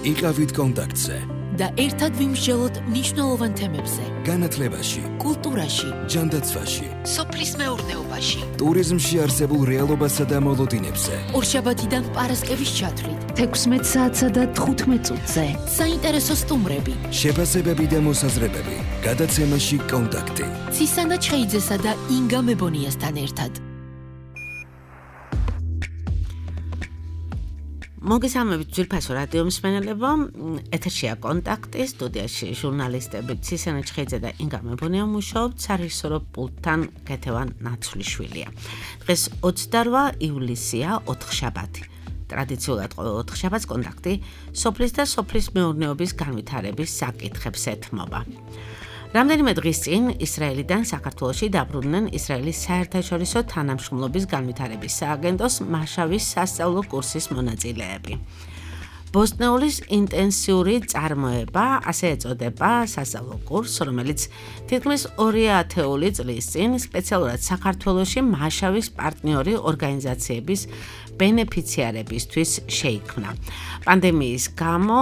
იყავით კონტაქტზე და ერთად ვიმსჯელოთ მნიშვნელოვან თემებზე. განათლებაში, კულტურაში, ჯანდაცვაში, სოფლის მეურნეობაში, ტურიზმში არსებულ რეალობასა და მოლოდინებზე. ორშაბათიდან პარასკევის ჩათვლით 16 საათსა და 15 წუთზე. საინტერესო სტუმრები, შეფასებები და მოსაზრებები. გადაცემაში კონტაქტი. ცისანა ჩხეიძესა და ინგა მებონიასთან ერთად. მოგესალმებით ძვირფასო რადიო მსმენელებო, ეთერშია კონტაქტი, სტუდიაში ჟურნალისტები ცისანა ჩხეიძე და ინგა მებონია მუშაობთ, სარეჟისორო პულტთან კეთევან ნაცვლიშვილია. დღეს 28 ივლისია, ოთხშაბათი. ტრადიციულად ყოველ ოთხშაბათს კონტაქტი სოფლის და სოფლის მეურნეობის განვითარების საკითხებს ეთმობა. რამდენიმე დღის წინ ისრაელიდან საქართველოში დაბრუნდნენ ისრაელის საერთაშორისო თანამშრომლობის განვითარების სააგენტოს მაშავის სასწავლო კურსის მონაწილეები. ბოსტნეულის ინტენსიური წარმოება, ასე ეწოდება სასწავლო კურსს, რომელიც თითქმის 2 ათეული წლის წინ სპეციალურად საქართველოში მაშავის პარტნიორი ორგანიზაციების ბენეფიციარებისთვის შეიქმნა. პანდემიის გამო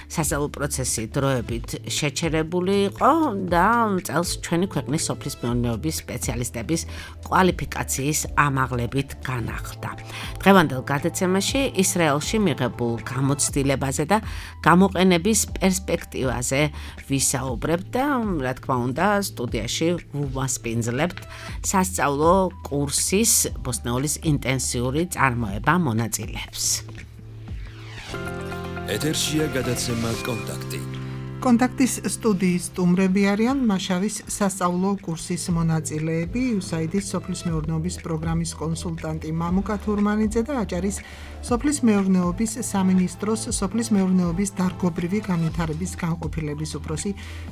სასწავლო პროცესი დროებით შეჩერებული იყო და წელს ჩვენი ქვეყნის სოფლის მეურნეობის სპეციალისტების კვალიფიკაციის ამაღლებით განახლდა. დღევანდელ გადაცემაში ისრაელში მიღებულ გამოცდილებაზე და გამოყენების პერსპექტივაზე ვისაუბრებთ და რა თქმა უნდა სტუდიაში ვუმასპინძლებთ სასწავლო კურსის ბოსტნეულის ინტენსიური წარმოება მონაწილეებს. ეთერშია გადაცემა კონტაქტი. კონტაქტის სტუდიის სტუმრები არიან მაშავის სასწავლო კურსის მონაწილეები, USAID-ის სოფლის მეურნეობის პროგრამის კონსულტანტი მამუკა თურმანიძე და აჭარის სოფლის მეურნეობის სამინისტროს სოფლის მეურნეობის დარგობრივი განვითარების განყოფილების უფროსი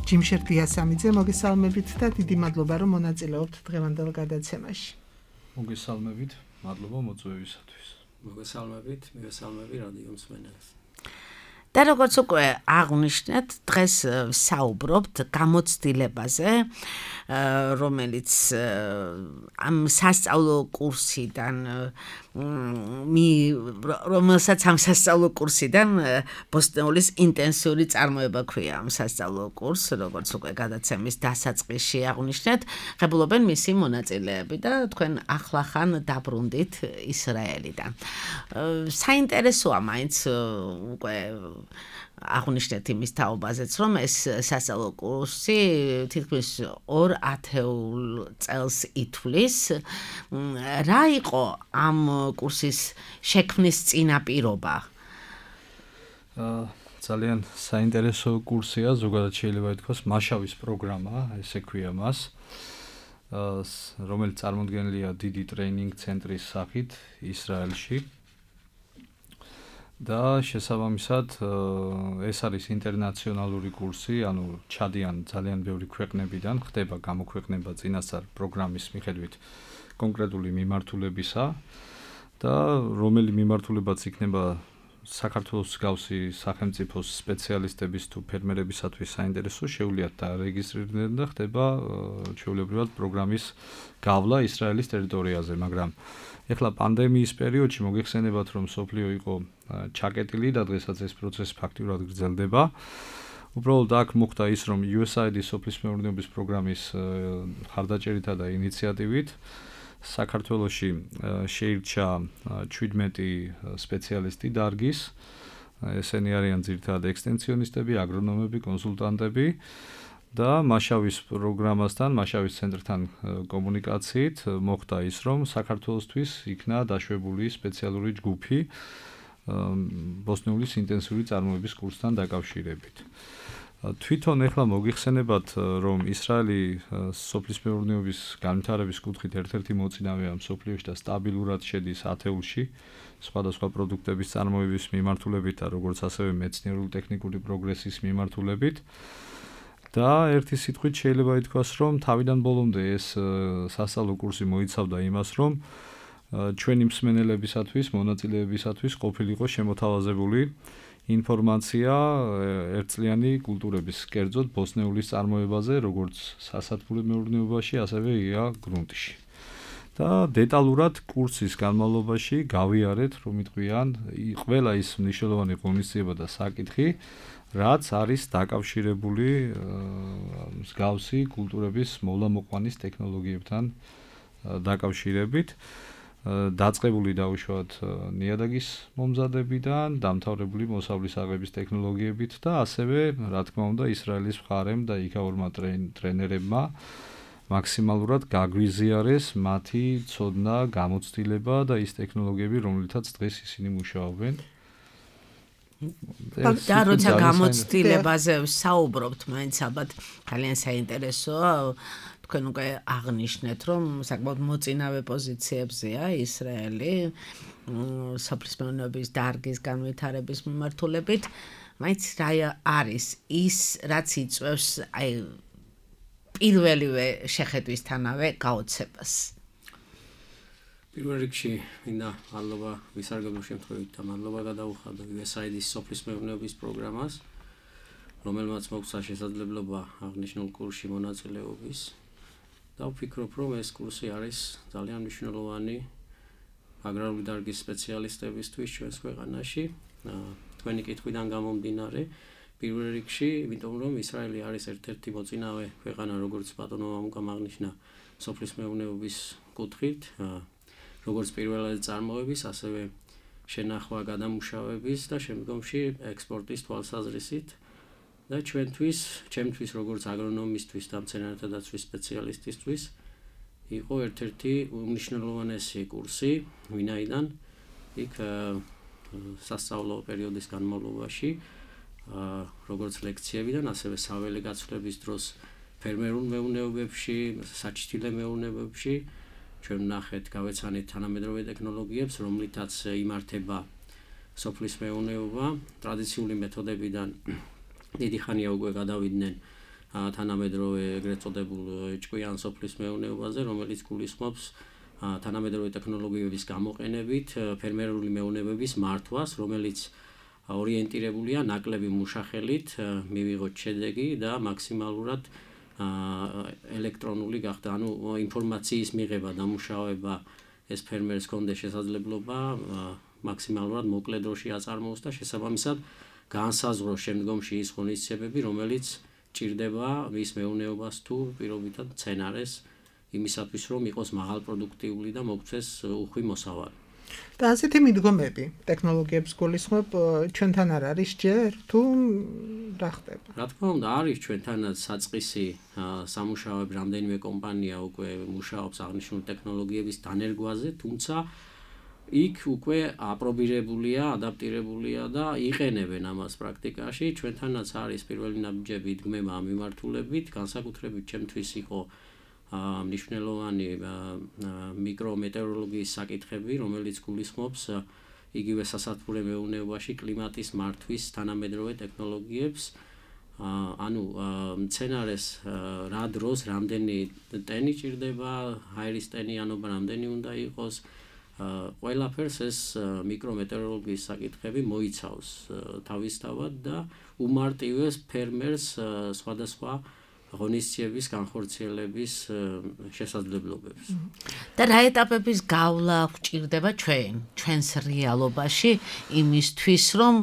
ჯიმშერ დიასამიძე. მოგესალმებით და დიდი მადლობა რომ მონაწილეობთ დღევანდელ გადაცემაში. მოგესალმებით, მადლობა მოწვევისათვის. მოგესალმებით რადიო მსმენელს. და როგორც უკვე აღვნიშნეთ, დღეს ვსაუბრობთ გამოცდილებაზე, რომელიც ამ სასწავლო კურსიდან რომელსაც ამ სასწავლო კურსიდან ბოსტნეულის ინტენსიური წარმოება ქვია ამ სასწავლო კურსს, როგორც უკვე გადაცემის დასაწყისში აღვნიშნეთ, ღებულობენ მისი მონაწილეები და თქვენ ახლახან დაბრუნდით ისრაელიდან. საინტერესოა მაინც უკვე აღვნიშნეთ იმის თაობაზეც, რომ ეს სასწავლო კურსი თითქმის 2 ათეულ წელს ითვლის. რა იყო ამ კურსის შექმნის წინაპირობა? ძალიან საინტერესო კურსია, ზოგადად შეიძლება ითქვას მაშავის პროგრამა, ესე ქვია მას, რომელიც წარმოდგენილია დიდი ტრეინინგ ცენტრის სახით ისრაელში. და შესაბამისად ეს არის ინტერნაციონალური კურსი, ანუ ჩადიან ძალიან ბევრი ქვეყნებიდან, ხდება გამოქვეყნება წინასწარ პროგრამის მიხედვით კონკრეტული მიმართულებისა და რომელი მიმართულებაც იქნება საქართველოს მსგავსი სახელმწიფოს სპეციალისტების თუ ფერმერებისათვის საინტერესო, შეუძლიათ დარეგისტრირდნენ და ხდება ჩვეულებრივად პროგრამის გავლა ისრაელის ტერიტორიაზე, მაგრამ ეხლა პანდემიის პერიოდში მოგეხსენებათ, რომ სოფლიო იყო ჩაკეტილი და დღესაც ეს პროცესი ფაქტიურად გრძელდება. უბრალოდ აქ მოხდა ის, რომ USAID-ის სოფლის მეურნეობის პროგრამის ხარდაჭერითა და ინიციატივით საქართველოში შეირჩა 17 სპეციალისტი დარგის. ესენი არიან ძირითადად ექსტენსიონისტები, აგრონომები, კონსულტანტები. და მაშავის პროგრამასთან, მაშავის ცენტრთან კომუნიკაციით მოხდა ის, რომ საქართველოსთვის იქნა დაშვებული სპეციალური ჯგუფი ბოსტნეულის ინტენსიური წარმოების კურსთან დაკავშირებით. თვითონ ეხლა მოგიხსენებათ, რომ ისრაელი სოფლის მეურნეობის განვითარების კუთხით ერთ-ერთი მოწინავეა მსოფლიოში და სტაბილურად შედის ათეულში სხვადასხვა პროდუქტების წარმოების მიმართულებით და როგორც ასევე მეცნიერული ტექნიკური პროგრესის მიმართულებით. და ერთი სიტყვით შეიძლება ითქვას, რომ თავიდან ბოლომდე ეს სასწავლო კურსი მოიცავდა იმას, რომ ჩვენი მსმენელებისათვის, მონაწილეებისათვის ყოფილიყო შემოთავაზებული ინფორმაცია ერთწლიანი კულტურების, კერძოდ ბოსტნეულის წარმოებაზე, როგორც სასათბურე მეურნეობაში, ასევე ია გრუნტში. და დეტალურად კურსის განმავლობაში გავიარეთ, რომ იტყვიან ყველა ის მნიშვნელოვანი ღონისძიება და საკითხი, რაც არის დაკავშირებული მსგავსი კულტურების მოვლა-მოყვანის ტექნოლოგიებთან დაკავშირებით. დაწყებული დაუშვათ ნიადაგის მომზადებიდან, დამთავრებული მოსავლის აღების ტექნოლოგიებით და ასევე, რა თქმა უნდა, ისრაელის მხარემ და იქაურმა ტრენერებმა მაქსიმალურად გაგვიზიარეს მათი ცოდნა, გამოცდილება და ის ტექნოლოგიები, რომლითაც დღეს ისინი მუშაობენ. და როცა გამოცდილებაზე საუბრობთ, მაინც ალბათ ძალიან საინტერესოა. თქვენ უკვე აღნიშნეთ, რომ საკმაოდ მოწინავე პოზიციებზეა ისრაელი სოფლის მეურნეობის დარგის განვითარების მიმართულებით. მაინც რა არის ის, რაც იწვევს პირველივე შეხედვისთანავე გაოცებას? პირველ რიგში მინდა მადლობა ვისარგებლო შემთხვევით და მადლობა გადაუხადო USAID-ის სოფლის მეურნეობის პროგრამას, რომელმაც მოგცა შესაძლებლობა აღნიშნულ კურსში მონაწილეობის. და ვფიქრობ, რომ ეს კურსი არის ძალიან მნიშვნელოვანი აგრარული დარგის სპეციალისტებისთვის ჩვენს ქვეყანაში. თქვენი კითხვიდან გამომდინარე, პირველ რიგში, იმიტომ რომ ისრაელი არის ერთ-ერთი მოწინავე ქვეყანა, როგორც ბატონო მამუკამ აღნიშნა, სოფლის მეურნეობის კუთხით, როგორც პირველად წარმოების, ასევე შენახვა გადამუშავების და შემდგომში ექსპორტის თვალსაზრისით. და ჩემთვის როგორც აგრონომისტვის და მცენარეთა დაცვის სპეციალისტისთვის იყო ერთ-ერთი უმნიშვნელოვანესი კურსი, ვინაიდან იქ სასწავლო პერიოდის განმავლობაში როგორც ლექციებიდან, ასევე საველე გაცვლების დროს ფერმერულ მეურნეობებში, საჩრდილე მეურნეობებში ჩვენ ვნახეთ, გავეცანეთ თანამედროვე ტექნოლოგიებს, რომლითაც იმართება სოფლის მეურნეობა ტრადიციული მეთოდებიდან დიდი ხანია უკვე გადავიდნენ თანამედროვე ეგრეთ წოდებულ ჭკვიან სოფლის მეურნეობაზე, რომელიც გულისხმობს თანამედროვე ტექნოლოგიების გამოყენებით ფერმერული მეურნეობების მართვას, რომელიც ორიენტირებულია ნაკლები მუშახელით, მივიღოთ შედეგი და მაქსიმალურად ელექტრონული გახდა, ანუ ინფორმაციის მიღება, დამუშავება ეს ფერმერს კონდეს შესაძლებლობა მაქსიმალურად მოკლე დროში აწარმოოს და შესაბამისად განსაზღვროს შემდგომში ის ღონისძიებები, რომელიც ჭირდება მის მეურნეობას თუ პირობითად მცენარეს იმისათვის, რომ იყოს მაღალპროდუქტიული და მოგცეს უხვი მოსავალი. და ასეთი მიდგომები ტექნოლოგიებს გულისხმობ ჩვენთან არ არის ჯერ თუ რა ხდება? რა თქმა უნდა, არის ჩვენთანაც საწყისი სამუშაოები, რამდენიმე კომპანია უკვე მუშაობს აღნიშნული ტექნოლოგიების დანერგვაზე, თუმცა იქ უკვე აპრობირებულია, ადაპტირებულია და იყენებენ ამას პრაქტიკაში. ჩვენთანაც არის პირველი ნაბიჯები იდგმება ამ მიმართულებით, განსაკუთრებით ჩემთვის იყო მნიშვნელოვანი მიკრომეტეოროლოგიის საკითხები, რომელიც გულისხმობს იგივე სასათბურე მეურნეობაში კლიმატის მართვის თანამედროვე ტექნოლოგიებს. ანუ მცენარეს რა დროს რამდენი ტენი ჭირდება, ჰაერის ტენიანობა რამდენი უნდა იყოს, ყველაფერს ეს მიკრომეტეოროლოგიის საკითხები მოიცავს თავისთავად და უმარტივეს ფერმერს სხვადასხვა ღონისძიების განხორციელების შესაძლებლობებს. და რა ეტაპების გავლა გვჭირდება ჩვენს რეალობაში იმისთვის, რომ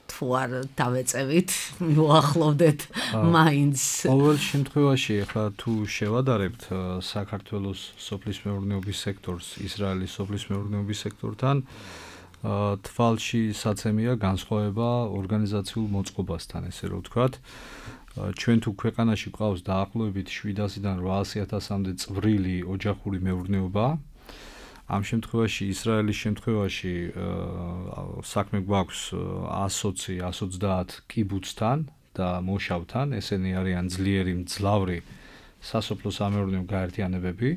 თუ არ დავეწევით, მოახლოვდეთ მაინც. ყოველ შემთხვევაში, ახლა თუ შევადარებთ საქართველოს სოფლის მეურნეობის სექტორს ისრაელის სოფლის მეურნეობის სექტორთან, თვალში საცემია განსხვავება ორგანიზაციულ მოწყობასთან, ესე რომ ვთქვათ. ჩვენ თუ ქვეყანაში გვყავს დაახლოებით 700-დან 800,000-მდე წვრილი ოჯახური მეურნეობა, ამ შემთხვევაში ისრაელის შემთხვევაში საქმე გვაქვს 120-130 კიბუცთან და მოშავთან, ესენი არიან ძლიერი მძლავრი სასოფლო სამეურნეო გაერთიანებები.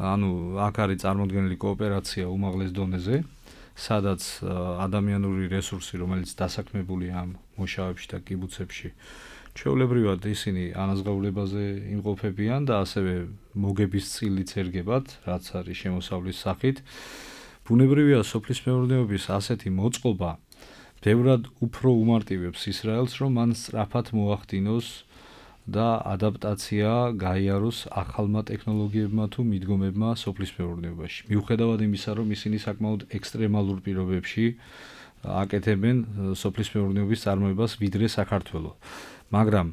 ანუ აქ არის წარმოდგენილი კოოპერაცია უმაღლეს დონეზე, სადაც ადამიანური რესურსი, რომელიც დასაქმებულია ამ მოშავებში და კიბუცებში, ჩვეულებრივად ისინი ანაზღაურებაზე იმყოფებიან და ასევე მოგების წილიც ერგებათ, რაც არის შემოსავლის სახით. ბუნებრივია სოფლის მეურნეობის ასეთი მოწყობა ბევრად უფრო უმარტივებს ისრაელს, რომ მან სწრაფად მოახდინოს და ადაპტაცია გაიაროს ახალმა ტექნოლოგიებმა თუ მიდგომებმა სოფლის მეურნეობაში. მიუხედავად იმისა, რომ ისინი საკმაოდ ექსტრემალურ პირობებში აკეთებენ სოფლის მეურნეობის წარმოებას ვიდრე საქართველო. მაგრამ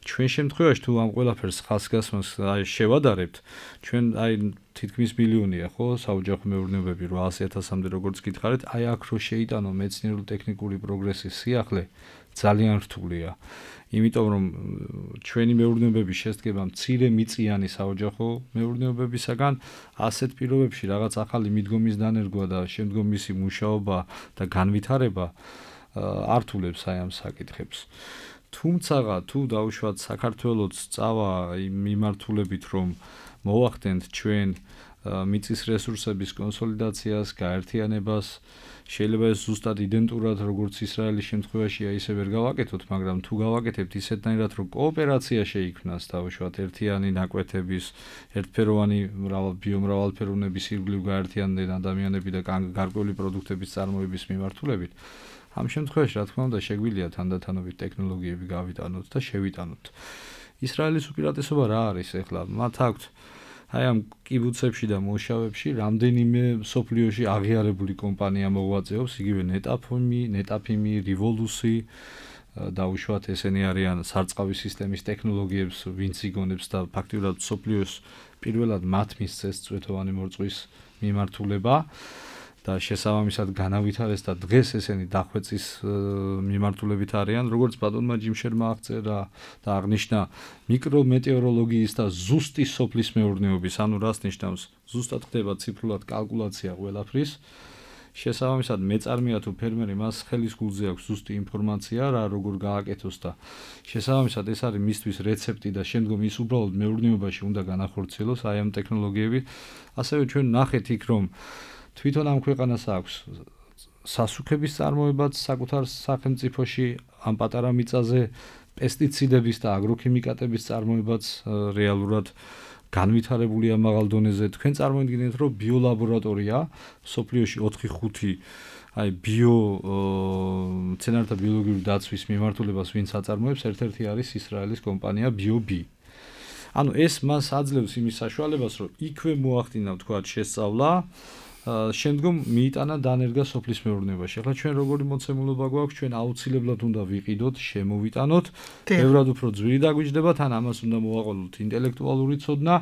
ჩვენ შემთხვევაში თუ ამ ყველაფერს ხალხსგასმას შევადარებთ, ჩვენ თითქმის მილიონია ხო საოჯახო მეურნეობები 800,000-მდე როგორც გითხარით, აქ რო შეიტანო მეცნიერულ-ტექნიკური პროგრესის სიახლე ძალიან რთულია. იმიტომ რომ ჩვენი მეურნეობების შესდგება მცირე მიწიანი საოჯახო მეურნეობებისაგან, ასეთ პირობებში რაღაც ახალი მიდგომის დანერგვა და შემდგომ მისი მუშაობა და განვითარება ართულებს ამ საკითხებს. თუმცა თუ დავუშვათ საქართველოს წავა იმ მიმართულებით, რომ მოვახდენთ ჩვენ მიწის რესურსების კონსოლიდაციას, გაერთიანებას, შეიძლება ეს ზუსტად იდენტურად როგორც ისრაელის შემთხვევაშია, ისე ვერ გავაკეთოთ, მაგრამ თუ გავაკეთებთ ისეთნაირად, რომ კოოპერაცია შეიქმნას დავუშვათ ერთიანი ნაკვეთების, ერთფეროვანი ბიომრავალფეროვნების ირგვლივ გაერთიანდნენ ადამიანები და გარკვეული პროდუქტების წარმოების მიმართულებით, ამ შემთხვევაში რა თქმა უნდა შეგვიძლია თანდათანობით ტექნოლოგიები გავიტანოთ და შევიტანოთ. ისრაელის უპირატესობა რა არის ახლა? მათ აქვთ ამ კიბუცებში და მუშავებში რამდენიმე სოფლიოში აღიარებული კომპანია მოღვაწეობს, იგივე ნეტაფიმი, რივოლუსი, დაუშვათ ესენი არიან სარწყავი სისტემის ტექნოლოგიებს ვინც იგონებს და ფაქტიურად სოფლიოს პირველად მათ მისცეს წვეთოვანი მორწვის მიმართულება. და შესაბამისად განავითარეს და დღეს ესენი დახვეწის მიმართულებით არიან, როგორც ბატონმა ჯიმშერმა აღწერა და აღნიშნა მიკრომეტეოროლოგიის და ზუსტი სოფლის მეურნეობის, ანუ რას ნიშნავს? ზუსტად ხდება ციფრულად კალკულაცია ყველაფრის. შესაბამისად მეწარმეა თუ ფერმერი მას ხელის გულზე აქვს ზუსტი ინფორმაცია რა როგორ გააკეთოს და შესაბამისად ეს არის მისთვის რეცეპტი და შემდგომ ის უბრალოდ მეურნეობაში უნდა განახორციელოს ამ ტექნოლოგიები. ასევე ჩვენ ნახეთ იქ რომ თვითონ ამ ქვეყანას აქვს სასუქების წარმოებაც საკუთარ სახელმწიფოში ამ პატარა მიწაზე, პესტიციდების და აგროქიმიკატების წარმოებაც რეალურად განვითარებულია მაღალ დონეზე. თქვენ წარმოიდგინეთ, რომ ბიოლაბორატორია სოფლიოში 4-5 მცენარეთა ბიოლოგიური დაცვის მიმართულებას ვინც აწარმოებს, ერთ-ერთი არის ისრაელის კომპანია BioBee. ანუ ეს მას აძლევს იმის საშუალებას, რომ იქვე მოახდინა თქვათ შესწავლა, შემდგომ მიიტანა დანერგა სოფლის მეურნეობაში. ახლა ჩვენ როგორი მოცემულობა გვაქვს, ჩვენ აუცილებლად უნდა ვიყიდოთ, შემოვიტანოთ, ბევრად უფრო ძვირი დაგვიჯდება, თან ამას უნდა მოვაყოლოთ ინტელექტუალური ცოდნა,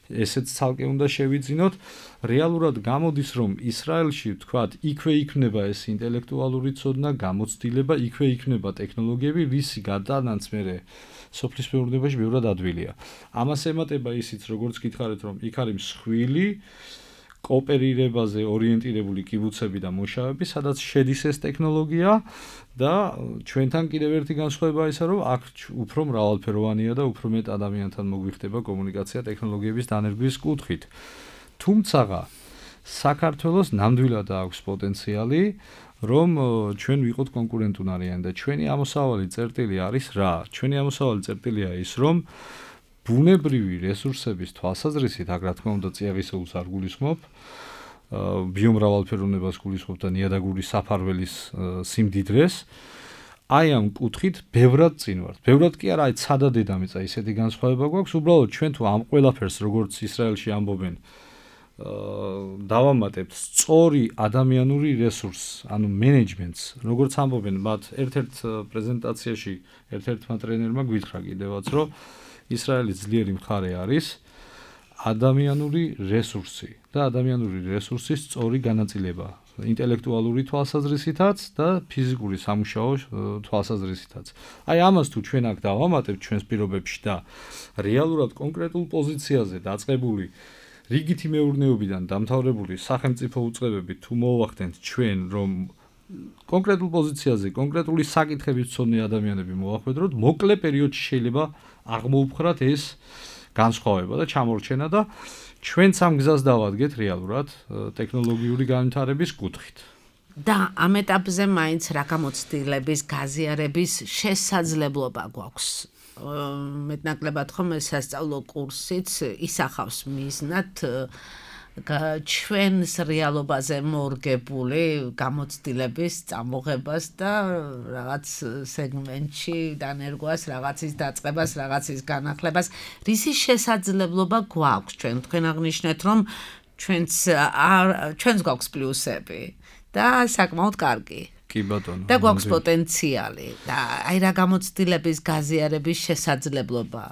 ესეც ცალკე უნდა შევიძინოთ. რეალურად გამოდის, რომ ისრაელში თქვათ, იქვე იქნება ეს ინტელექტუალური ცოდნა, გამოცდილება, იქვე იქნება ტექნოლოგიები, რისი გადანაც მერე სოფლის მეურნეობაში ბევრად ადვილია. ამას ემატება ისიც, როგორც გითხარით, რომ იქ არის მსხვილი კოოპერირებაზე ორიენტირებული კიბუცები და მუშაობები, სადაც შედის ეს ტექნოლოგია და ჩვენთან კიდევ ერთი განსხვავება ისაა, რომ აქ უფრო მრავალფეროვანია და უფრო მეტ ადამიანთან მოგვიხდება კომუნიკაცია ტექნოლოგიების დანერგვის კუთხით. თუმცა საქართველოს ნამდვილად აქვს პოტენციალი, რომ ჩვენ ვიყოთ კონკურენტუნარიანი და ჩვენი ამოსავალი წერტილი არის რა? ჩვენი ამოსავალი წერტილია ის, რომ ბუნებრივი რესურსების თვალსაზრისით, აქ რა თქმა უნდა წიაღისეულს არ გულისხმობ, ბიომრავალფეროვნებას გულისხმობ და ნიადაგური საფარველის სიმდიდრეს, ამ კუთხით ბევრად წინ ვართ. ბევრად კი არა, ცადა დედამიწა ისეთი განსხვავება გვაქვს, უბრალოდ ჩვენ თუ ამ ყველაფერს როგორც ისრაელში ამბობენ, დავამატებთ სწორი ადამიანური რესურსს, ანუ მენეჯმენტს, როგორც ამბობენ მათ ერთ-ერთ პრეზენტაციაში ერთ-ერთმა ტრენერმა გვითხრა კიდევაც, რომ ისრაელის ძლიერი მხარე არის ადამიანური რესურსი და ადამიანური რესურსის სწორი განაწილება, ინტელექტუალური თვალსაზრისითაც და ფიზიკური სამუშაო თვალსაზრისითაც. ამას თუ ჩვენ აქ დავამატებთ ჩვენს პირობებში და რეალურად კონკრეტულ პოზიციაზე დაწყებული რიგითი მეურნეობიდან დამთავრებული სახელმწიფო უწყებები თუ მოვახდენთ ჩვენ რომ კონკრეტულ პოზიციაზე კონკრეტული საკითხების მცოდნე ადამიანები მოვახვედროთ, მოკლე პერიოდში შეიძლება აღმოუფხრათ ეს განსხვავება და ჩამორჩენა და ჩვენც ამ გზას დავადგეთ რეალურად ტექნოლოგიური განვითარების კუთხით. და ამ ეტაპზე მაინც რა გამოცდილების გაზიარების შესაძლებლობა გვაქვს. მეტნაკლებად ხომ ეს სასწავლო კურსიც ისახავს მიზნად ჩვენს რეალობაზე მორგებული გამოცდილების წამოღებას და რაღაც სეგმენტში დანერგვას, რაღაცის დაწყებას, რაღაცის განახლებას, რისი შესაძლებლობა გვაქვს ჩვენ? თქვენ აღნიშნეთ, რომ ჩვენს გვაქვს პლუსები და საკმაოდ კარგი. კი ბატონო. და გვაქვს პოტენციალი და აი რა გამოცდილების გაზიარების შესაძლებლობა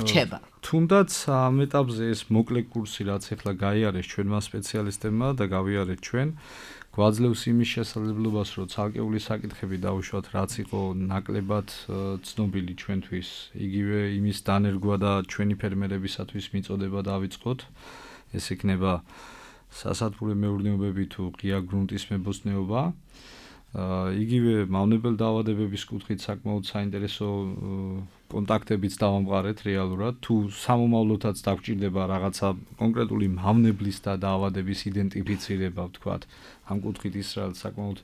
რჩება. თუნდაც ამ ეტაპზე ეს მოკლე კურსი რაც ახლა გაიარეს ჩვენმა სპეციალისტებმა და გავიარეთ ჩვენ, გვაძლევს იმის შესაძლებლობას, რომ ცალკეული საკითხები დავუშვათ, რაც იყო ნაკლებად ცნობილი ჩვენთვის, იგივე იმის დანერგვა და ჩვენი ფერმერებისათვის მიწოდება დავიწყოთ. ეს იქნება სასათბურე მეურნეობები თუ ღია გრუნტის მებოსტნეობა. იგივე მავნებელ დაავადებების კუთხით საკმაოდ საინტერესო კონტაქტებიც დავამყარეთ რეალურად. თუ სამომავლოდაც დაგვჭირდება რაღაცა კონკრეტული მავნებლის და დაავადების იდენტიფიცირება, ვთქვათ, ამ კუთხით ისრაელს საკმაოდ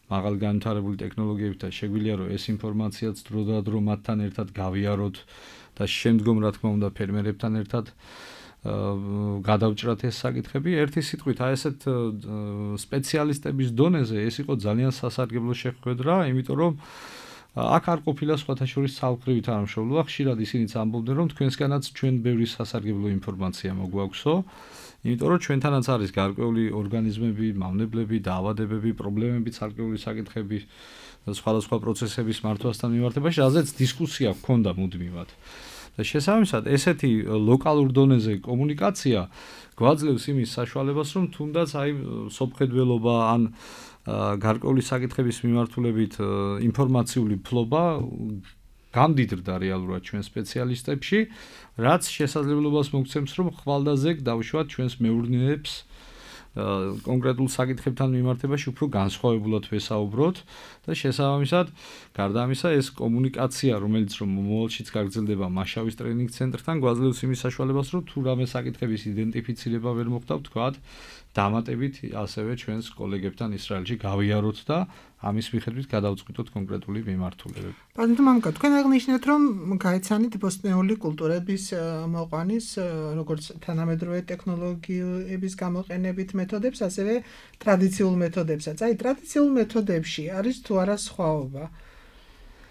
მაღალი განვითარებული ტექნოლოგიებით და შეგვიძლია რომ ეს ინფორმაციაც დროდადრო მათთან ერთად გავიაროთ და შემდგომ რა თქმა უნდა ფერმერებთან ერთად გადავჭრათ ეს საკითხები. ერთი სიტყვით, აი ესეთ სპეციალისტების დონეზე ეს იყო ძალიან სასარგებლო შეხვედრა, იმიტომ რომ აქ არ ყოფილა სხვათა შორის ცალკრივი თანამშრომლობა, ხშირად ისინიც ამბობდნენ, რომ თქვენსგანაც ჩვენ ბევრი სასარგებლო ინფორმაცია მოგვაქვსო, იმიტომ რომ ჩვენთანაც არის გარკვეული ორგანიზმები, მავნებლები, დაავადებები, პრობლემები, ცალკეული საკითხები, სხვადასხვა პროცესების მართვასთან მიმართებაში, რაზეც დისკუსია ჰქონდა მუდმივად. და შესაბამისად, ესეთი ლოკალურ დონეზე კომუნიკაცია გვაძლევს იმის საშუალებას, რომ თუნდაც აი სოფხედველობა ან გარკვეული საკითხების მიმართულებით ინფორმაციული ფლობა გამდიდრდა რეალურად ჩვენ სპეციალისტებში, რაც შესაძლებლობას მოგცემს, რომ ხვალდაზეგ დავუშვათ ჩვენს მეურნეებს კონკრეტულ საკითხებთან მიმართებაში უფრო განსხვავებულად ვესაუბროთ და შესაბამისად, გარდა ამისა, ეს კომუნიკაცია, რომელიც რომ მომავალშიც გაგრძელდება მაშავის ტრენინგ ცენტრთან, გვაძლევს იმის საშუალებას, რომ თუ რამე საკითხების იდენტიფიცირება ვერ მოხდა, ვთქვათ, დამატებით ასევე ჩვენს კოლეგებთან ისრაელში გავიაროთ და ამის მიხედვით გადავწყვიტოთ კონკრეტული მიმართულებები. ბატონო მამუკა, თქვენ აღნიშნეთ, რომ გაეცანით ბოსტნეული კულტურების მოყვანის, როგორც თანამედროვე ტექნოლოგიების გამოყენებით მეთოდებს, ასევე ტრადიციულ მეთოდებსაც. აი, ტრადიციულ მეთოდებში არის თუ არა სხვაობა?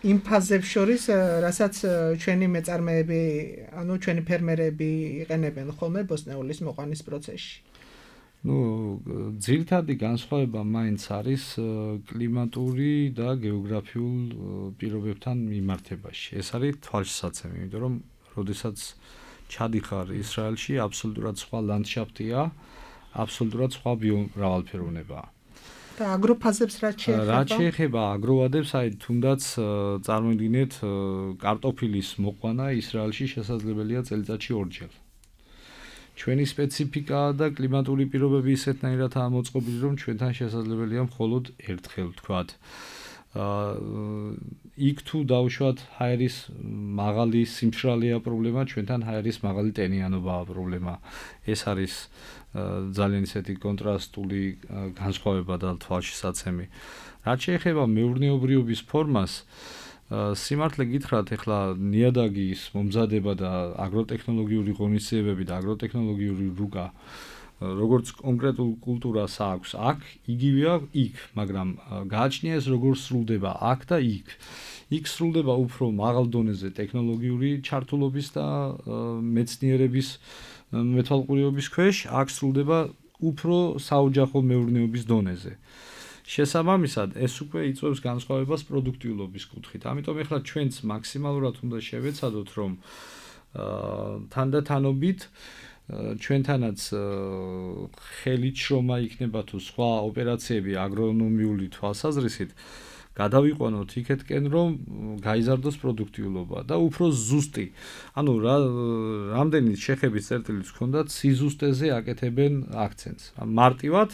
იმ ფაზებს შორის, რასაც ჩვენი მეწარმეები, ანუ ჩვენი ფერმერები იყენებენ ხოლმე ბოსტნეულის მოყვანის პროცესში. ძირითადი განსხვავება მაინც არის კლიმატური და გეოგრაფიულ პირობებთან მიმართებაში. ეს არის თვალშისაცემი, იმიტომ რომ როდესაც ჩადიხარ ისრაელში, აბსოლუტურად სხვა ლანდშაფტია, აბსოლუტურად სხვა ბიომრავალფეროვნებაა. და აგროფაზებს რაც შეეხება? რაც შეეხება აგროვადებს, აი თუნდაც წარმოიდგინეთ, კარტოფილის მოყვანა ისრაელში შესაძლებელია წელიწადში ორჯერ. ჩვენი სპეციფიკა და კლიმატური პირობები ისეთნაირადაა მოწყობილი, რომ ჩვენთან შესაძლებელია მხოლოდ ერთხელ, ვთქვათ. იქ თუ დავუშვათ ჰაერის მაღალი სიმშრალეა პრობლემა, ჩვენთან ჰაერის მაღალი ტენიანობაა პრობლემა. ეს არის ძალიან ისეთი კონტრასტული განსხვავება და თვალშისაცემი. რაც შეეხება მეურნეობრიობის ფორმას, სიმართლე გითხრათ, ახლა ნიადაგის მომზადება და აგროტექნოლოგიური ღონისძიებები და აგროტექნოლოგიური რუკა, როგორც კონკრეტულ კულტურას აქვს, აქ იგივეა იქ, მაგრამ გააჩნია ეს როგორ სრულდება აქ და იქ. იქ სრულდება უფრო მაღალ დონეზე ტექნოლოგიური ჩართულობის და მეცნიერების მეთვალყურეობის ქვეშ, აქ სრულდება უფრო საოჯახო მეურნეობის დონეზე. შესაბამისად, ეს უკვე იწვევს განსხვავებას პროდუქტიულობის კუთხით. ამიტომ ახლა ჩვენც მაქსიმალურად უნდა შევეცადოთ, რომ თანდათანობით ჩვენთანაც ხელით შრომა იქნება თუ სხვა ოპერაციები აგრონომიული თვალსაზრისით გადავიყვანოთ იქეთკენ, რომ გაიზარდოს პროდუქტიულობა და უფრო ზუსტი. ანუ რამდენი შეხების წერტილიც ჰქონდათ, სიზუსტეზე აკეთებენ აქცენტს. მარტივად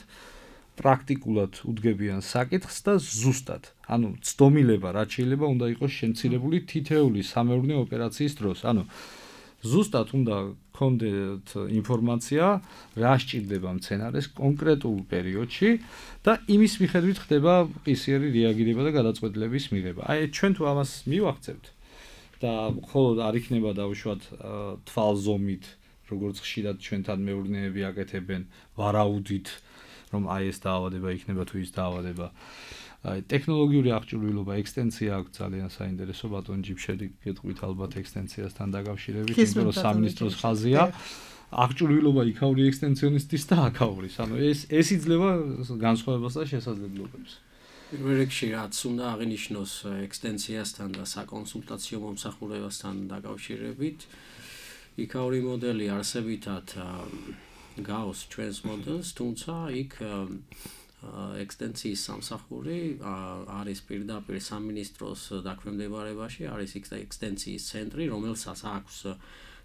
პრაქტიკულად უდგებიან საკითხს და ზუსტად. ანუ ცდომილება რაც შეიძლება უნდა იყოს შემცირებული თითეული სამეურნეო ოპერაციის დროს. ანუ ზუსტად უნდა გქონდეთ ინფორმაცია, რა სჭირდება მცენარეს კონკრეტულ პერიოდში და იმის მიხედვით ხდება ყისიერი რეაგირება და გადაწყვეტილების მიღება. აი ჩვენ თუ ამას მივახცევთ და მხოლოდ არ იქნება დავუშვათ თვალზომით როგორც ხშირად ჩვენთან მეურნეები აკეთებენ ვარაუდით, რომ აი ეს დაავადება იქნება თუ ის დაავადება. ტექნოლოგიური აღჭურვილობა, ექსტენსია აქვს ძალიან საინტერესო ბატონ ჯიბშედი გეტყვით ალბათ ექსტენსიასთან დაკავშირებით, იმიტომ რომ სამინისტროს ხაზია. აღჭურვილობა იქაური ექსტენსიონისტის და აქაურის. ანუ ეს იძლევა განსხვავებას და შესაძლებლობებს. პირველ რიგში რაც უნდა აღინიშნოს ექსტენსიასთან და საკონსულტაციო მომსახურებასთან დაკავშირებით, იქაური მოდელი არსებითად გავს ჩვენს მოდელს, თუმცა იქ ექსტენსიის სამსახური არის პირდაპირ სამინისტროს დაქვემდებარებაში, არის ექსტენსიის ცენტრი, რომელსაც აქვს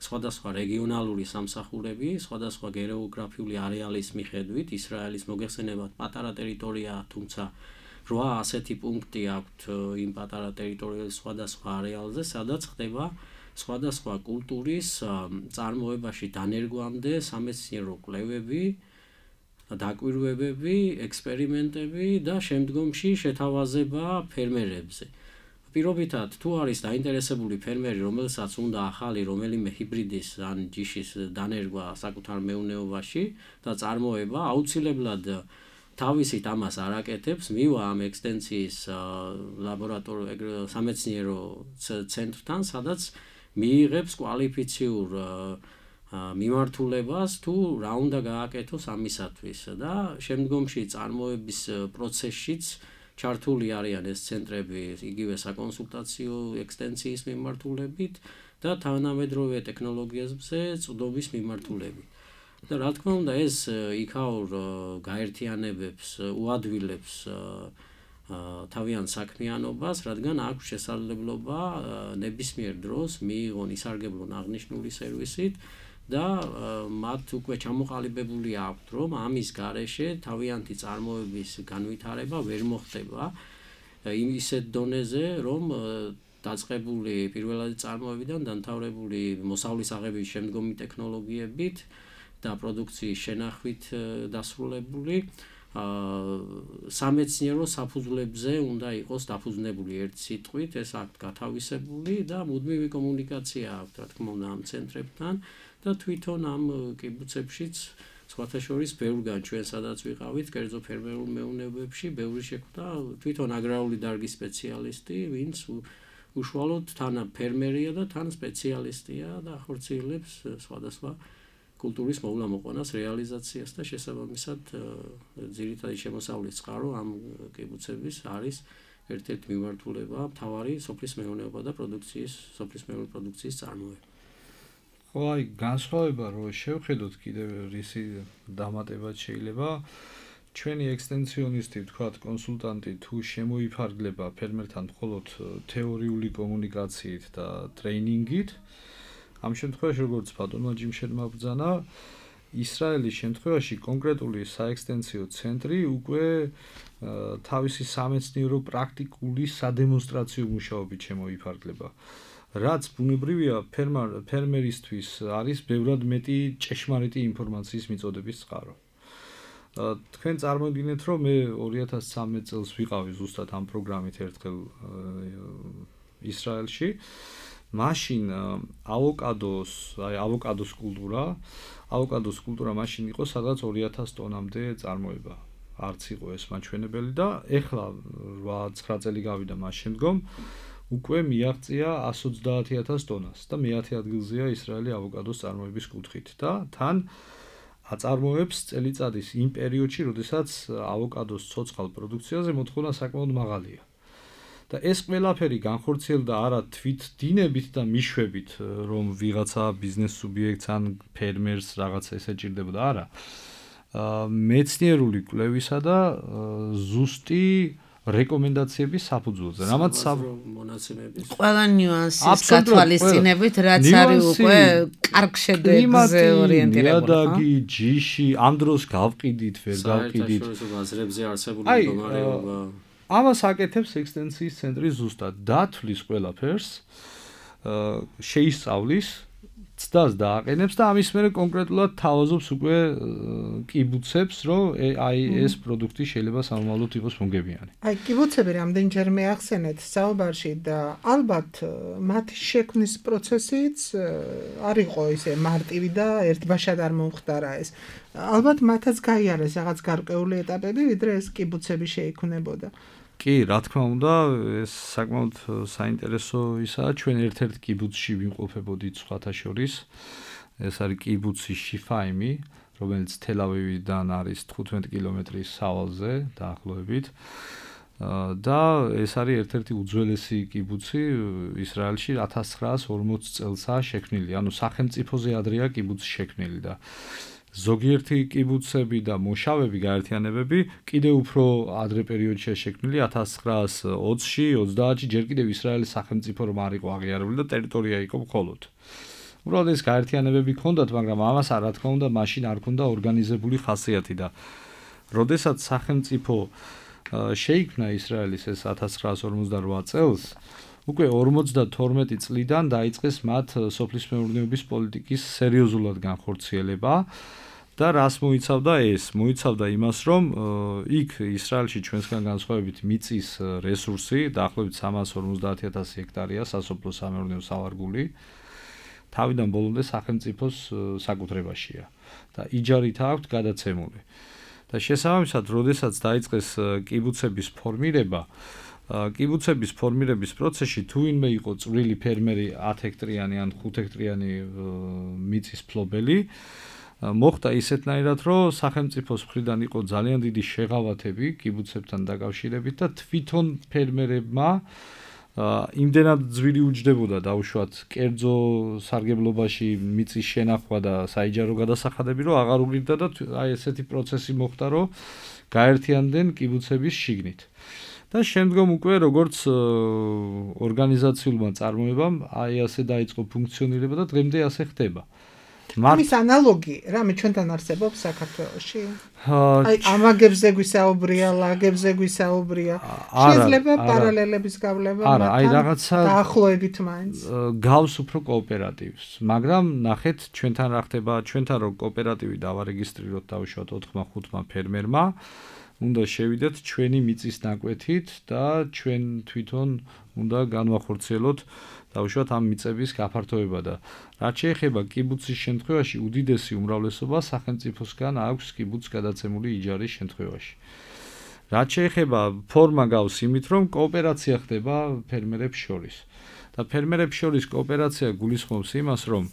სხვადასხვა რეგიონალური სამსახურები, სხვადასხვა გეოგრაფიული არეალის მიხედვით, ისრაელის მოგეხსენებათ პატარა ტერიტორია, თუმცა 8 ასეთი პუნქტი აქვთ იმ პატარა ტერიტორიების სხვადასხვა არეალზე, სადაც ხდება სხვადასხვა კულტურის წარმოებაში დანერგვამდე სამეცნიერო კვლევები, დაკვირვებები, ექსპერიმენტები და შემდგომში შეთავაზება ფერმერებზე. პირობითად, თუ არის დაინტერესებული ფერმერი, რომელსაც უნდა ახალი რომელიმე ჰიბრიდის ან ჯიშის დანერგვა საკუთარ მეურნეობაში და წარმოება, აუცილებლად თავისით ამას არ აკეთებს, მივა ამ ექსტენსიის სამეცნიერო ცენტრთან, სადაც მიიღებს კვალიფიციურ მიმართულებას თუ რა უნდა გააკეთოს ამისათვის და შემდგომში წარმოების პროცესშიც ჩართული არიან ეს ცენტრები იგივე საკონსულტაციო ექსტენსიის მიმართულებით და თანამედროვე ტექნოლოგიებზე წვდომის მიმართულებით. და რა თქმა უნდა ეს იქაურ გაერთიანებებს, უადვილებს თავიანთ საქმიანობას, რადგან აქვს შესაძლებლობა ნებისმიერ დროს მიიღონ ისარგებლონ აღნიშნული სერვისით და მათ უკვე ჩამოყალიბებული აქვთ, რომ ამის გარეშე თავიანთი წარმოების განვითარება ვერ მოხდება ისეთ დონეზე, რომ დაწყებული პირველადი წარმოებიდან დამთავრებული მოსავლის აღების შემდგომი ტექნოლოგიებით და პროდუქციის შენახვით დასრულებული სამეცნიერო საფუძვლებზე უნდა იყოს დაფუძნებული ერთ სიტყვით, ეს აქვთ გათავისებული და მუდმივი კომუნიკაცია აქვთ, რა თქმა უნდა, ამ ცენტრებთან და თვითონ ამ კიბუცებშიც სხვათა შორის ბევრგან ჩვენ სადაც ვიყავით, კერძო ფერმერულ მეურნეობებში, ბევრი შეხვდა თვითონ აგრარული დარგის სპეციალისტი, ვინც უშუალოდ თან ფერმერია და თან სპეციალისტია და ახორციელებს სხვადასხვა კულტურის მოვლა-მოყვანას, რეალიზაციას და შესაბამისად ძირითადი შემოსავლის წყარო ამ კიბუცების არის ერთ-ერთი მიმართულება, მთავარი სოფლის მეურნეობა და სოფლის მეურნეობის პროდუქციის წარმოება. ხო, აი განსხვავება რო შევხედოთ კიდევ რისი დამატებაც შეიძლება ჩვენი ექსტენსიონისტი, ვთქვათ, კონსულტანტი თუ შემოიფარგლება ფერმერთან მხოლოდ თეორიული კომუნიკაციით და ტრეინინგით, ამ შემთხვევაში როგორც ბატონმა ჯიმშედმა ბრძანა, ისრაელის შემთხვევაში კონკრეტული საექსტენსიო ცენტრი უკვე თავისი სამეცნიერო პრაქტიკული სადემონსტრაციო მუშაობით შემოიფარგლება. რაც ბუნებრივია ფერმერისთვის არის ბევრად მეტი ჭეშმარიტი ინფორმაციის მიწოდების წყარო. თქვენ წარმოგიდგენთ, რომ მე 2013 წელს ვიყავი ზუსტად ამ პროგრამით ერთხელ ისრაელში. მაშინ ავოკადოს კულტურა მაშინ იყო სადღაც 2000 ტონამდე წარმოება. არც იყო ეს მაჩვენებელი და ეხლა 8-9 წელი გავიდა მას შემდგომ უკვე მიაღწია 130,000 ტონას და მე-10 ადგილზეა ისრაელი ავოკადოს წარმოების კუთხით და თან აწარმოებს წელიწადის იმ პერიოდში, როდესაც ავოკადოს ცოცხალ პროდუქციაზე მოთხოვნა საკმაოდ მაღალია. და ეს ყველაფერი განხორციელდა არა თვით დინებით და მიშვებით, რომ ვიღაცა ბიზნეს სუბიექტს ან ფერმერს რაღაცა ესეჭირდებოდა, არა. მეცნიერული კვლევისა და ზუსტი რეკომენდაციების საფუძველზე. რამაც მონაცემების ყველა ნიუანსის გათვალისწინებით, რაც არის უკვე კარგ შედევრზე ორიენტირებული. იადაგი, ჯიში, ამ დროს გავყიდით, ვერ გავყიდით. საერთაშორისო ბაზრებზე არსებული მდგომარეობა. ამას აკეთებს ექსტენსიის ცენტრი ზუსტად, დათვლის ყველაფერს, შეისწავლის ცდას დააყენებს და ამის მერე კონკრეტულად თავაზობს უკვე კიბუცებს, რომ აი ეს პროდუქტი შეიძლება სამომავლოდ იყოს მომგებიანი. აი კიბუცები რამდენჯერმე ახსენეთ საუბარში და ალბათ მათი შექმნის პროცესიც არ იყო ისე მარტივი და ერთბაშად არ მომხდარა ეს. ალბათ მათაც გაიარეს რაღაც გარკვეული ეტაპები, ვიდრე ეს კიბუცები შეიქმნებოდა. კი, რა თქმა უნდა, ეს საკმაოდ საინტერესო ისაა, ჩვენ ერთ-ერთ კიბუცში ვიმყოფებოდით სხვათა შორის. ეს არის კიბუცი შიფაიმი, რომელიც თელ-ავივიდან არის 15 კილომეტრის სავალზე დაახლოებით. და ეს არის ერთ-ერთი უძველესი კიბუცი ისრაელში 1940 წელსაა შექმნილი. ანუ სახელმწიფოზე ადრეა კიბუცი შექმნილი და ზოგიერთი კიბუცები და მოშავები გაერთიანებები კიდევ უფრო ადრე პერიოდშია შექმნილი 1920-ში, 30-ში ჯერ კიდევ ისრაელის სახელმწიფო რომ არ იყო აღიარებული და ტერიტორია იყო მხოლოდ. უბრალოდ ეს გაერთიანებები ჰქონდათ, მაგრამ ამას რა თქმა უნდა მაშინ არ ჰქონდა ორგანიზებული ხასიათი და როდესაც სახელმწიფო შეიქმნა ისრაელის ეს 1948 წელს, უკვე 52 წლიდან დაიწყეს მათ სოფლის მეურნეობის პოლიტიკის სერიოზულად განხორციელება და რას მოიცავდა ეს? მოიცავდა იმას, რომ იქ ისრაელში ჩვენსგან განსხვავებით მიწის რესურსი დაახლოებით 350,000 ჰექტარია სასოფლო სამეურნეო სავარგული. თავიდან ბოლომდე სახელმწიფოს საკუთრებაშია და იჯარით აქვთ გადაცემული. და შესაბამისად, როდესაც დაიწყეს კიბუცების ფორმირება, კიბუცების ფორმირების პროცესში თუ ვინმე იყო წვრილი ფერმერი 10 ჰექტრიანი ან 5 ჰექტრიანი მიწის ფლობელი, მოხდა ისეთნაირად, რომ სახელმწიფოს მხრიდან იყო ძალიან დიდი შეღავათები კიბუცებთან დაკავშირებით და თვითონ ფერმერებმა იმდენად ძვირი უჯდებოდა დაუშვათ კერძო სარგებლობაში მიწის შენახვა და საიჯარო გადასახადები, რომ აღარ უღირდა და აი ესეთი პროცესი მოხდა, რომ გაერთიანდნენ კიბუცების შიგნით. და შემდგომ უკვე როგორც ორგანიზაციულმა წარმოებამ აი ასე დაიწყო ფუნქციონირება და დღემდე ასე ხდება. ამის ანალოგი რამე ჩვენთან არსებობს საქართველოში? აი ამაგებზე გვისაუბრია, ლაგებზე გვისაუბრია. შეიძლება პარალელების გავლება მათთან დაახლოებით მაინც. გავს უფრო კოოპერატივს, მაგრამ ნახეთ ჩვენთან რა ხდება, ჩვენთან რო კოოპერატივი დავარეგისტრიროთ დავუშვათ 4-5 ფერმერმა. უნდა შევიდეთ ჩვენი მიწის ნაკვეთით და ჩვენ თვითონ უნდა განვახორციელოთ დავუშვათ ამ მიწების გაფართოება და რაც შეეხება კიბუცის შემთხვევაში უდიდესი უმრავლესობა სახელმწიფოსგან აქვს კიბუცს გადაცემული იჯარის შემთხვევაში. რაც შეეხება ფორმა გავს იმით, რომ კოოპერაცია ხდება ფერმერებს შორის. და ფერმერებს შორის კოოპერაცია გულისხმობს იმას, რომ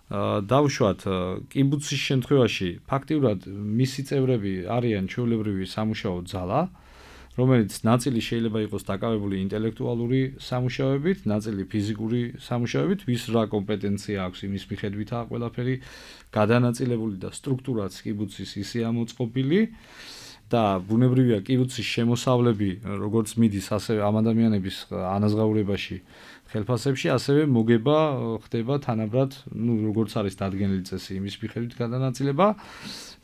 დავუშვათ კიბუცის შემთხვევაში ფაქტიურად მისი წევრები არიან ჩვეულებრივი სამუშაო ძალა, რომელიც ნაწილი შეიძლება იყოს დაკავებული ინტელექტუალური სამუშაოებით, ნაწილი ფიზიკური სამუშაოებით, ვის რა კომპეტენცია აქვს იმის მიხედვითაა ყველაფერი გადანაწილებული და სტრუქტურაც კიბუცის ისეა მოწყობილი და ბუნებრივია კიბუცის შემოსავლები როგორც მიდის ასევე ამ ადამიანების ანაზღაურებაში ხელფასებში ასევე მოგება ხდება თანაბრად, როგორც არის დადგენილი წესი იმის მიხედვით გადანაწილება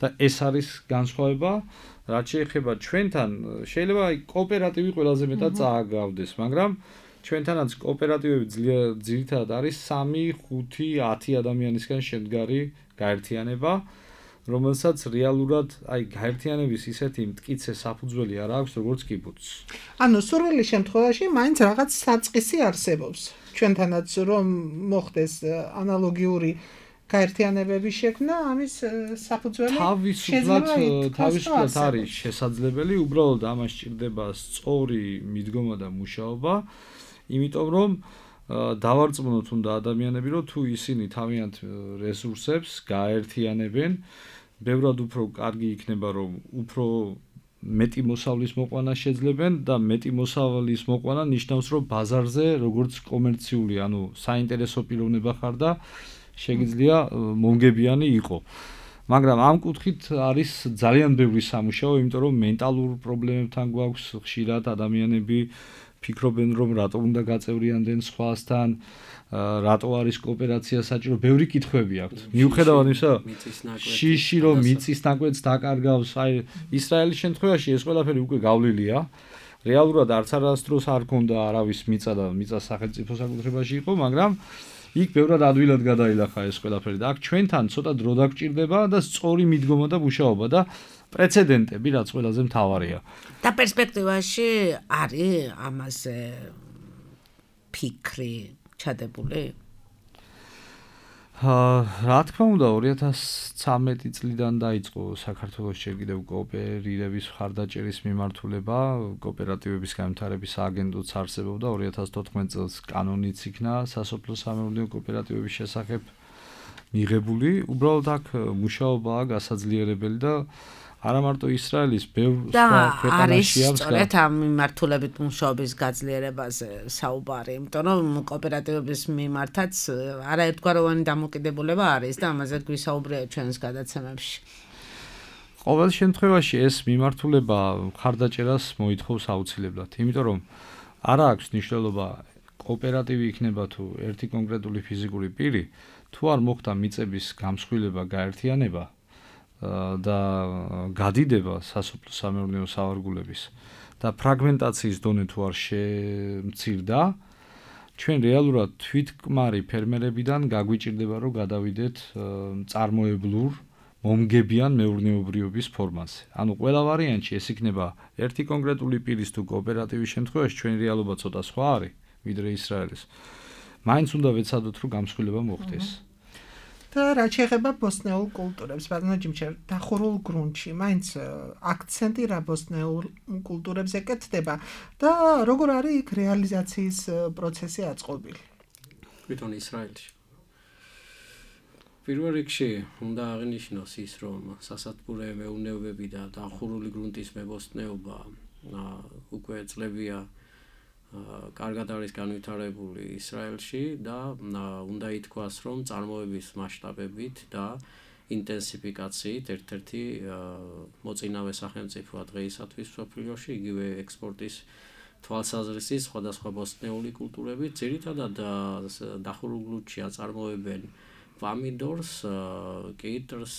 და ეს არის განსხვავება. რაც შეეხება ჩვენთან, შეიძლება კოოპერატივი ყველაზე მეტად წააგავდეს, მაგრამ ჩვენთანაც კოოპერატივები ძირითადად არის 3, 5, 10 ადამიანისგან შემდგარი გაერთიანება, რომელსაც რეალურად აი გაერთიანების ისეთი მტკიცე საფუძველი არ აქვს, როგორც კიბუცს. ანუ სურვილი შემთხვევაში მაინც რაღაც საწყისი არსებობს. ჩვენთანაც რომ მოხდეს ანალოგიური გაერთიანებების შექმნა, ამის საფუძველი თავისუფლად არის შესაძლებელი, უბრალოდ ამას სჭირდება სწორი მიდგომა და მუშაობა, იმიტომ რომ დავარწმუნოთ უნდა ადამიანები, რომ თუ ისინი თავიანთ რესურსებს გაერთიანებენ, ბევრად უფრო კარგი იქნება, რომ უფრო მეტი მოსავლის მოყვანა შეძლებენ და მეტი მოსავლის მოყვანა ნიშნავს, რომ ბაზარზე როგორც კომერციული, ანუ საინტერესო პიროვნება ხარ და შეგიძლია მომგებიანი იყო. მაგრამ ამ კუთხით არის ძალიან ბევრი სამუშაო, იმიტომ რომ მენტალურ პრობლემებთან გვაქვს ხშირად ადამიანები ფიქრობენ, რომ რატო უნდა გაწევრიანდნენ სხვასთან, რატო არის კოოპერაცია საჭირო, ბევრი კითხვები აქვთ. მიუხედავად იმისა, შიში რომ მიწის ნაკვეთს დაკარგავს, აი ისრაელის შემთხვევაში ეს ყველაფერი უკვე გავლილია. რეალურად არც არასდროს არ ქონდა არავის მიწა და მიწა სახელმწიფო საკუთრებაში იყო, მაგრამ იქ ბევრად ადვილად გადაილახა ეს ყველაფერი და აქ ჩვენთან ცოტა დრო დაგჭირდება და სწორი მიდგომა და მუშაობა და პრეცედენტები რაც ყველაზე მთავარია. და პერსპექტივაში არის ამაზე ფიქრი ჩადებული? რა თქმა უნდა 2013 წლიდან დაიწყო საქართველოს ჯერ კიდევ კოოპერირების მხარდაჭერის მიმართულება, კოოპერატივების განვითარების სააგენტოც არსებობდა 2014 წელს კანონიც იქნა სასოფლო-სამეურნეო კოოპერატივების შესახებ მიღებული, უბრალოდ აქ მუშაობაა გასაძლიერებელი და არა მარტო ისრაელის ბევრ სხვა ქვეყანაშია სწორედ ამ მიმართულებით მუშაობის გაძლიერებაზე საუბარი, იმიტომ რომ კოოპერატივების მიმართაც არაერთგვაროვანი დამოკიდებულება არის და ამაზე გვისაუბრია ჩვენს გადაცემებში. ყოველ შემთხვევაში ეს მიმართულება მხარდაჭერას მოითხოვს აუცილებლად, იმიტომ რომ არა აქვს მნიშვნელობა კოოპერატივი იქნება თუ ერთი კონკრეტული ფიზიკური პირი, თუ არ მოხდა მიწების გამსხვილება, გაერთიანება და გადიდება სასოფლო-სამეურნეო სავარგულების და ფრაგმენტაციის დონე თუ არ შემცირდა, ჩვენ რეალურად თვითკმარი ფერმერებიდან გაგვიჭირდება რომ გადავიდეთ წარმოებლურ მომგებიან მეურნეობრიობის ფორმაზე. ანუ ყველა ვარიანტში ეს იქნება ერთი კონკრეტული პირის თუ კოოპერატივის შემთხვევაში ჩვენი რეალობა ცოტა სხვა არის ვიდრე ისრაელის. მაინც უნდა ვეცადოთ რომ გამსხვილება მოხდეს. და რა შეეხება ბოსნეულ კულტურებს, ბატონო ჯიმჩერ, დახურულ გრუნტში, მაინც აქცენტი რა ბოსნეულ კულტურებზე კეთდება და როგორ არის იქ რეალიზაციის პროცესი აწყობილი? თვითონ ისრაელში. პირველ რიგში უნდა აღინიშნოს ის, რომ სასათბურე მეურნეობები და დახურული გრუნტის მებოსტნეობა უკვე წლებია კარგად არის განვითარებული ისრაელში და უნდა ითქვას, რომ წარმოების მასშტაბებით და ინტენსიფიკაციით ერთ-ერთი მოწინავე სახელმწიფოა დღეისათვის მსოფლიოში, იგივე ექსპორტის თვალსაზრისით სხვადასხვა ბოსტნეული კულტურები, ძირითადად დახურულ გრუნტში აწარმოებენ პამიდორს, კიტრს,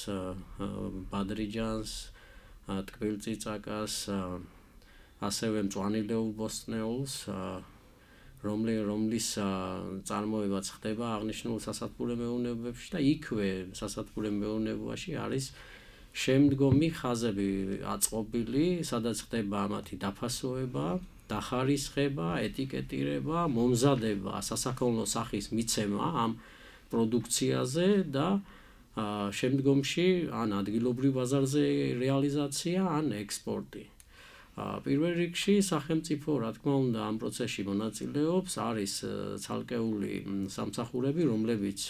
ბადრიჯანს, ტკბილწიწაკას, ასევე მწვანილეულ ბოსტნეულს, რომლის წარმოებაც ხდება აღნიშნულ სასათბურე მეურნეობებში და იქვე სასათბურე მეურნეობაში არის შემდგომი ხაზები აწყობილი, სადაც ხდება ამათი დაფასოება, დახარისხება, ეტიკეტირება, მომზადება, სასაქონლო სახის მიცემა ამ პროდუქციაზე და შემდგომში ან ადგილობრივ ბაზარზე რეალიზაცია, ან ექსპორტი. პირველ რიგში სახელმწიფო რა თქმა უნდა ამ პროცესში მონაწილეობს, არის ცალკეული სამსახურები, რომლებიც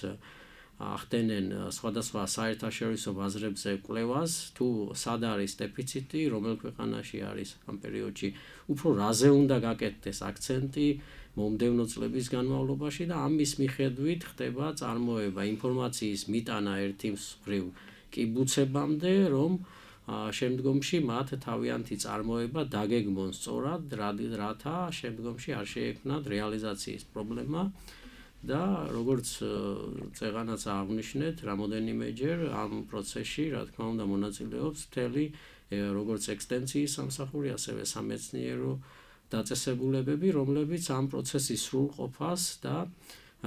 ახდენენ სხვადასხვა საერთაშორისო ბაზრებზე კვლევას, თუ სად არის დეფიციტი, რომელ ქვეყანაში არის ამ პერიოდში, უფრო რაზე უნდა გაკეთდეს აქცენტი მომდევნო წლების განმავლობაში და ამის მიხედვით ხდება წარმოება ინფორმაციის მიტანა ერთი მხრივ კიბუცებამდე, რომ შემდგომში მათ თავიანთი წარმოება დაგეგმონ სწორად, რათა შემდგომში არ შეექმნათ რეალიზაციის პრობლემა და როგორც წეღანაც აღნიშნეთ, რამოდენიმეჯერ ამ პროცესში, რა თქმა უნდა, მონაწილეობს მთელი როგორც ექსტენციის სამსახური, ასევე სამეცნიერო დაწესებულებები, რომლებიც ამ პროცესის სრულყოფას და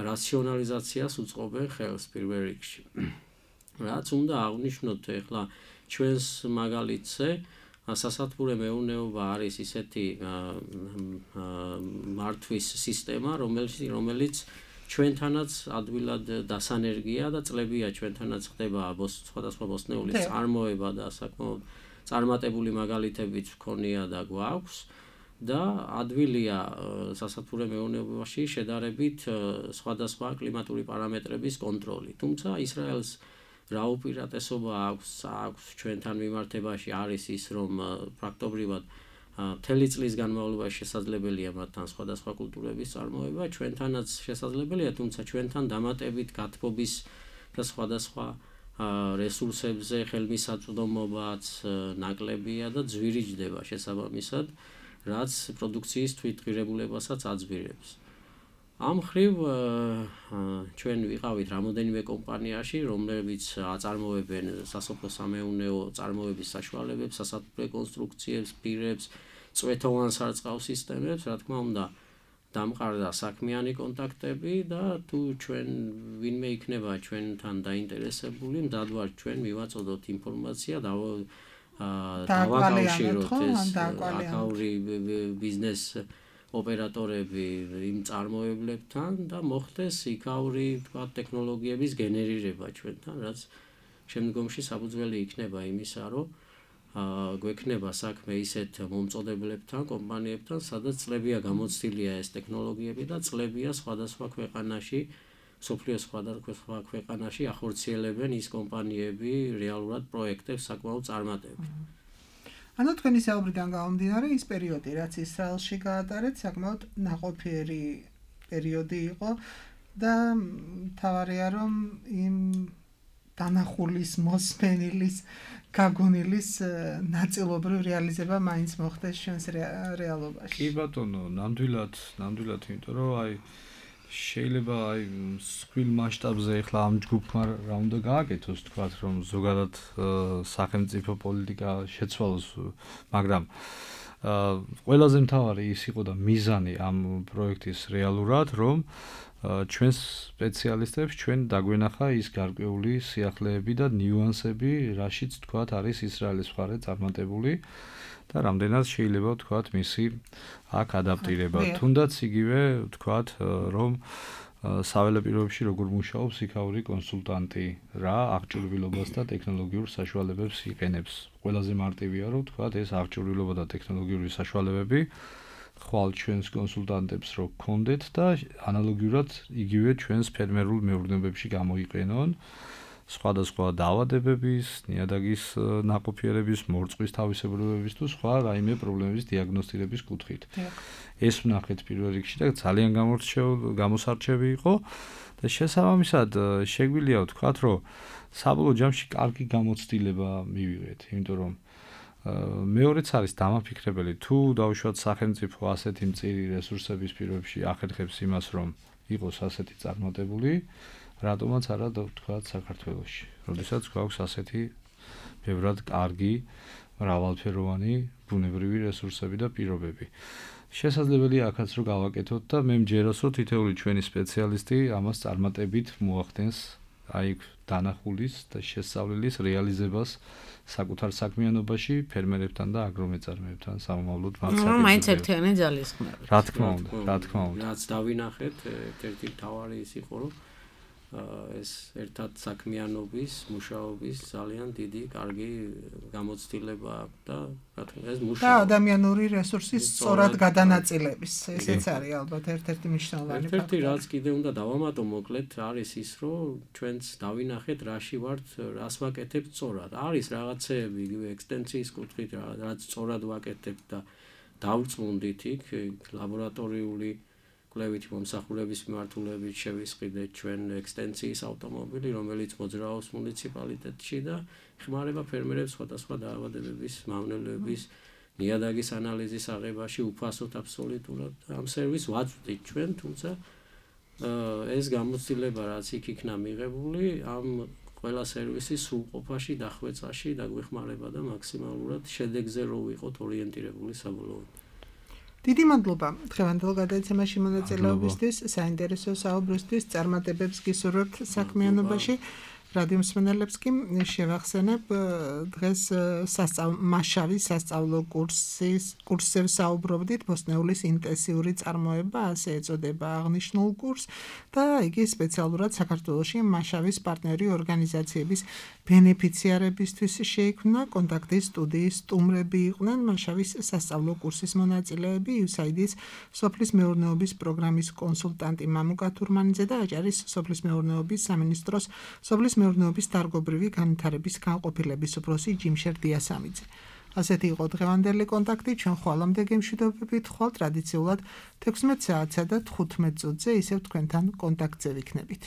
რაციონალიზაციას უწყობენ ხელს პირველ რიგში. რაც უნდა აღნიშნოთ ახლა ჩვენს მაგალითზე, სასათბურე მეურნეობა არის ისეთი მართვის სისტემა, რომელიც ჩვენთანაც ადვილად დასანერგია და წლებია ჩვენთანაც ხდება სხვადასხვა ბოსტნეულის წარმოება და საკმაოდ წარმატებული მაგალითებიც მქონია და გვაქვს და ადვილია სასათბურე მეურნეობაში შედარებით სხვადასხვა კლიმატური პარამეტრების კონტროლი. თუმცა ისრაელს რა უპირატესობა აქვს ჩვენთან მიმართებაში არის ის, რომ პრაქტობრივად მთელი წლის განმავლობაში შესაძლებელია მათთან სხვადასხვა კულტურების წარმოება, ჩვენთანაც შესაძლებელია, თუმცა ჩვენთან დამატებით გათბობის და სხვადასხვა რესურსებზე ხელმისაწვდომობაც ნაკლებია და ძვირიჯდება შესაბამისად, რაც პროდუქციის თვითღირებულებასაც აძვირებს. ამ მხრივ ჩვენ ვიყავით რამოდენიმე კომპანიაში, რომლებიც აწარმოებენ სასოფლო-სამეურნეო წარმოების საშუალებებს, სასათბურე კონსტრუქციებს, პირებს, წვეთოვან სარწყავ სისტემებს, რა თქმა უნდა, დამყარდა საქმიანი კონტაქტები და თუ ჩვენ ვინმე იქნება ჩვენთან დაინტერესებული, მდად ვართ ჩვენ მივაწოდოთ ინფორმაცია და დავაკავშიროთ ეს აკაური ბიზნეს ოპერატორები იმ წარმოებლებთან და მოხდეს იქაური ტექნოლოგიების გენერირება ჩვენთან, რაც შემდგომში საფუძველი იქნება იმისა, რომ გვექნება საქმე ისეთ მომწოდებლებთან, კომპანიებთან, სადაც წლებია გამოცდილია ეს ტექნოლოგიები და წლებია სხვადასხვა ქვეყანაში, სოფლიოს სხვადასხვა ქვეყანაში ახორციელებენ ის კომპანიები რეალურად პროექტებს საკმაოდ წარმატებით. ანუ თქვენი საუბრიდან გამომდინარე, ის პერიოდი, რაც ისრაელში გაატარეთ, საკმაოდ ნაყოფიერი პერიოდი იყო და თავარია, რომ იმ დანახულის, მოსმენილის, გაგონილის ნაწილობრივ რეალიზება მაინც მოხდეს ჩვენს რეალობაში. კი ბატონო, ნამდვილად, იმიტომ რომ აი შეიძლება აი მსხვილ მასშტაბზე ახლა ამ ჯგუფმა რა უნდა გააკეთოს, თქვათ, რომ ზოგადად სახელმწიფო პოლიტიკა შეცვალოს, მაგრამ ყველაზე მთავარი ის იყო და მიზანი ამ პროექტის რეალურად, რომ ჩვენს სპეციალისტებს ჩვენ დაგვენახა ის გარკვეული სიახლეები და ნიუანსები, რაშიც თქვათ არის ისრაელის მხარე წარმატებული და რამდენად შეიძლება თქვათ მისი აქ ადაპტირება. თუნდაც იგივე თქვათ, რომ საველე პირობებში როგორ მუშაობს იქაური კონსულტანტი, რა აღჭურვილობას და ტექნოლოგიურ საშუალებებს იყენებს. ყველაზე მარტივია, რომ თქვათ ეს აღჭურვილობა და ტექნოლოგიური საშუალებები ხვალ ჩვენს კონსულტანტებს რო გქონდეთ და ანალოგიურად იგივე ჩვენს ფერმერულ მეურნეობებში გამოიყენონ სხვადასხვა დაავადებების, ნიადაგის ნაყოფიერების, მორწყვის თავისებურებების თუ სხვა რაიმე პრობლემების დიაგნოსტირების კუთხით. ეს ვნახეთ პირველ რიგში და ძალიან გამოსარჩევი იყო და შესაბამისად შეგვიძლია ვთქვათ, რომ საბოლოო ჯამში კარგი გამოცდილება მივიღეთ, იმიტომ რომ მეორეც არის დამაფიქრებელი, თუ დავუშვათ სახელმწიფო ასეთი მწირი რესურსების პირობებში ახერხებს იმას, რომ იყოს ასეთი წარმატებული, რატომაც არა თქვათ საქართველოში. როდესაც გვაქვს ასეთი ბევრად კარგი, მრავალფეროვანი ბუნებრივი რესურსები და პირობები. შესაძლებელია აქაც რომ გავაკეთოთ და მე მჯეროს, რომ თითოეული ჩვენი სპეციალისტი ამას წარმატებით მოახდენს აი დანახულის და შესწავლილის რეალიზებას საკუთარ საქმიანობაში ფერმერებთან და აგრომეწარმეებთან სამომავლოდ მართლაც მაინც ერთიანი ძალისხმევა. რა თქმა უნდა. რაც დავინახეთ, ერთ-ერთი მთავარი ის იყო, რომ ეს ერთად საქმიანობის, მუშაობის ძალიან დიდი, კარგი გამოცდილება და რა თქმა ეს მუშაობა. და ადამიანური რესურსის სწორად გადანაწილების, ესეც არის ალბათ ერთ-ერთი მნიშვნელოვანი ფაქტორი. ერთ-ერთი რაც კიდე უნდა დავამატო მოკლედ არის ის, რომ ჩვენც დავინახეთ რაში ვართ, რას ვაკეთებთ სწორად. არის რაღაცეები იგივე ექსტენსიის კუთხით, რაც სწორად ვაკეთებთ და დავწმუნდით იქ ლაბორატორიული კვლევითი მომსახურების მიმართულებით შევისყიდეთ ჩვენ ექსტენსიის ავტომობილი, რომელიც მოძრაობს მუნიციპალიტეტში და ხმარება ფერმერებს სხვადასხვა დაავადებების, მავნებლების, ნიადაგის ანალიზის აღებაში უფასოდ აბსოლუტურად. ამ სერვისს ვაწვდით ჩვენ, თუმცა ეს გამოცდილება რაც იქ იქნა მიღებული, ამ ყველა სერვისის სრულყოფაში, დახვეწაში დაგვეხმარება და მაქსიმალურად შედეგზე რო ვიყოთ ორიენტირებული საბოლოოდ. დიდი მადლობა დღევანდელ გადაცემაში მონაწილეობისთვის, საინტერესო საუბრისთვის, წარმატებებს გისურვებთ საქმიანობაში. რადიო მსმენელებს კი შევახსენებ დღეს მასშტაბის სასწავლო კურსზე საუბრობდით, ბოსნეულის ინტენსიური წარმოება, ასე ეწოდება აღნიშნულ კურსს და იგი სპეციალურად საქართველოში მასშტაბის პარტნიორი ორგანიზაციების ბენეფიციარებისთვის შეიქმნა. კონტაქტის სტუდიის სტუმრები იყვნენ მასშტაბის სასწავლო კურსის მონაწილეები, USAID-ის სოფლის მეურნეობის პროგრამის კონსულტანტი მამუკა თურმანიძე და აჭარის სოფლის მეურნეობის სამინისტროს სოფლის მეურნეობის დარგობრივი განვითარების განყოფილების უფროსი ჯიმშერ დიასამიძე. ასეთი იყო დღევანდელი კონტაქტი, ჩვენ ხვალამდე გემშვიდობებით ხვალ ტრადიციულად 16 საათსა და 15 წუთზე ისევ თქვენთან კონტაქტზე ვიქნებით.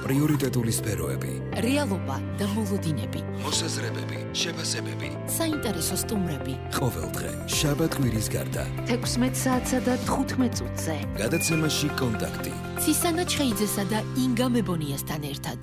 პრიორიტეტული სფეროები, რეალობა და მოლოდინები, მოსაზრებები, შეფასებები, საინტერესო სტუმრები. ყოველდღე შაბათ-კვირის გარდა 16 საათსა და 15 წუთზე გადაცემაში კონტაქტი. ცისანა ჩხეიძესა და ინგა მებონიასთან ერთად.